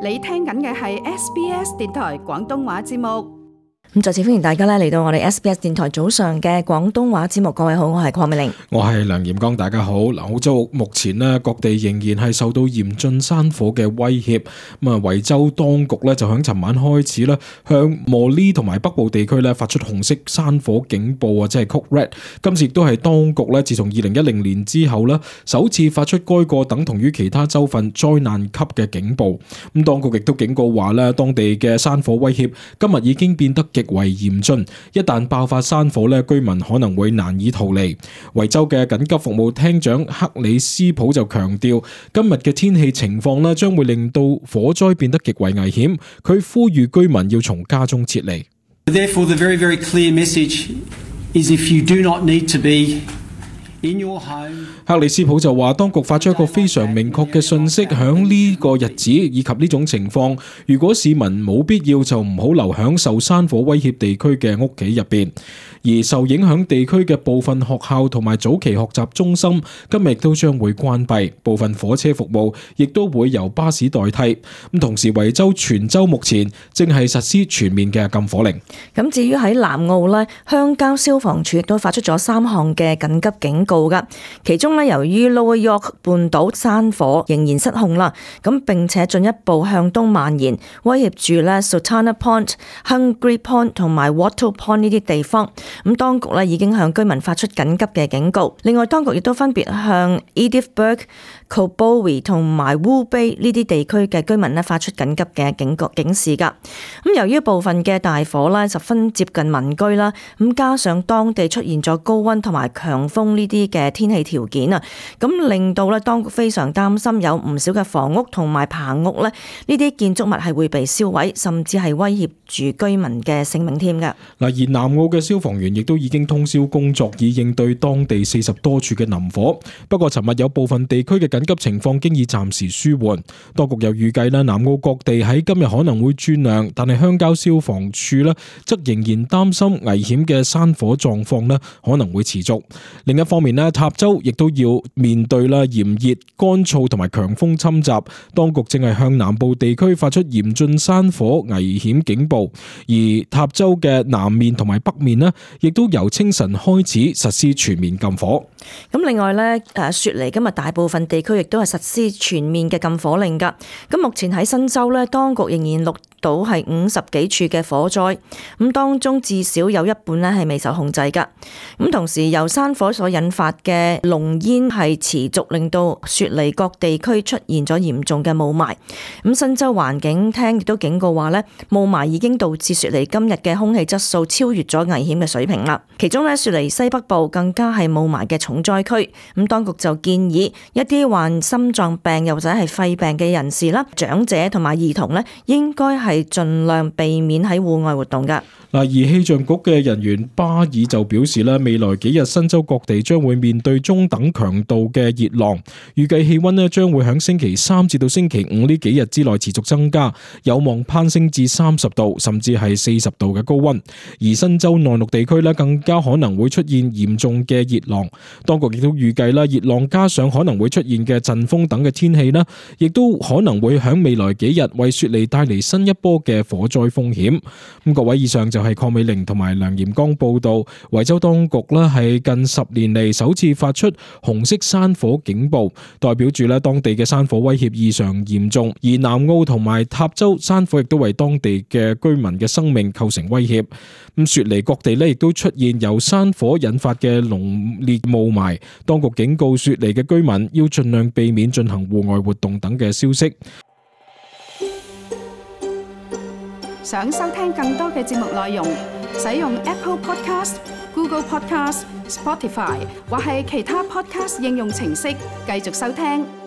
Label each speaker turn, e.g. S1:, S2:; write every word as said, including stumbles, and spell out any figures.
S1: 你聽緊嘅係 S B S 電台廣東話節目。
S2: 咁再次歡迎大家咧嚟到我哋 S B S 電台早上嘅廣東話節目。各位好，我係鄺美玲，
S3: 我係梁炎光，大家好。嗱，澳洲目前咧各地仍然係受到嚴峻山火嘅威脅。咁啊，維州當局咧就響尋晚開始咧向莫利同埋北部地區咧發出紅色山火警報啊，即係 Code Red。今次亦都係當局咧自從二零一零年之後咧首次發出該個等同於其他州份災難級嘅警報。咁當局亦都警告話咧，當地嘅山火威脅今日已經變得極為嚴峻，一旦爆發山火咧，居民可能會難以逃離。維州嘅緊急服務廳長克里斯普就強調，今日嘅天氣情況咧將會令到火災變得極為危險。佢呼籲居民要從家中撤離。
S4: Therefore, the very, very clear message is if you do not need to be in your home。
S3: 克里斯普就話，當局發出一個非常明確嘅訊息，響呢個日子以及呢種情況，如果市民冇必要就唔好留響受山火威脅地區嘅屋企入邊。而受影響地區嘅部分學校同埋早期學習中心今日亦都將會關閉，部分火車服務亦都會由巴士代替。咁同時，維州全州目前正係實施全面嘅禁火令。
S2: 咁至於喺南澳呢，鄉郊消防處亦都發出咗三項嘅緊急警告噶，其中呢，由於 Lower York 半島山火仍然失控啦，咁並且進一步向東蔓延，威脅住呢 Sultana Point、Hungry Point 同埋 Wattle Point 呢啲地方。咁當局咧已經向居民發出緊急嘅警告。另外，當局亦都分別向 Edithburgh、Cobowi 同埋 Wool Bay 呢啲地區嘅居民咧發出緊急嘅警告警示㗎。咁由於部分嘅大火咧十分接近民居啦，咁加上當地出現咗高溫同埋強風呢啲嘅天氣條件啊，咁令到咧當局非常擔心有唔少嘅房屋同埋棚屋咧呢啲建築物係會被燒毀，甚至係威脅住居民嘅性命添㗎。
S3: 嗱，而南澳嘅消防員亦都已經通宵工作，以應對當地四十多處嘅林火。不過，尋日有部分地區嘅緊急情況經已暫時舒緩。當局又預計咧，南澳各地喺今日可能會轉涼，但係鄉郊消防處咧則仍然擔心危險嘅山火狀況咧可能會持續。另一方面咧，塔州亦都要面對啦炎熱、乾燥同埋強風侵襲。當局正係向南部地區發出嚴峻山火危險警報，而塔州嘅南面同埋北面咧，亦都由清晨開始實施全面禁火。
S2: 咁另外咧，誒雪梨今日大部分地區亦都係實施全面嘅禁火令㗎。咁目前喺新州咧，當局仍然錄到係五十幾處嘅火災，咁當中至少有一半咧係未受控制㗎。咁同時由山火所引發嘅濃煙係持續令到雪梨各地區出現咗嚴重嘅霧霾。咁新州環境廳亦都警告話咧，霧霾已經導致雪梨今日嘅空氣質素超越咗危險嘅水平啦。其中咧，雪梨西北部更加係霧霾嘅重災區。咁當局就建議一啲患心臟病又或者係肺病嘅人士啦、長者同埋兒童咧，應該係盡量避免喺戶外活動㗎。
S3: 嗱，而氣象局嘅人員巴爾就表示咧，未來幾日新州各地將會面對中等強度嘅熱浪，預計氣溫咧將會喺星期三至到星期五呢幾日之內持續增加，有望攀升至三十度甚至係四十度嘅高溫。而新州內陸地區咧更加可能會出現嚴重嘅熱浪。當局亦都預計啦，熱浪加上可能會出現嘅陣風等嘅天氣啦，亦都可能會喺未來幾日為雪梨帶嚟新一波嘅火災風險。咁各位，以上就係鄺美玲同埋梁炎光報道，維州當局咧係近十年嚟首次發出紅色山火警報，代表住咧當地嘅山火威脅異常嚴重。而南澳同埋塔州山火亦都為當地嘅居民嘅生命構成威脅。咁雪梨各地咧亦都出現由山火引發嘅濃烈霧霾，當局警告雪梨嘅居民要盡量避免進行戶外活動等嘅消息。
S1: 想收聽更多嘅節目內容，使用 Apple Podcast、Google Podcast、Spotify 或係其他 Podcast 應用程式繼續收聽。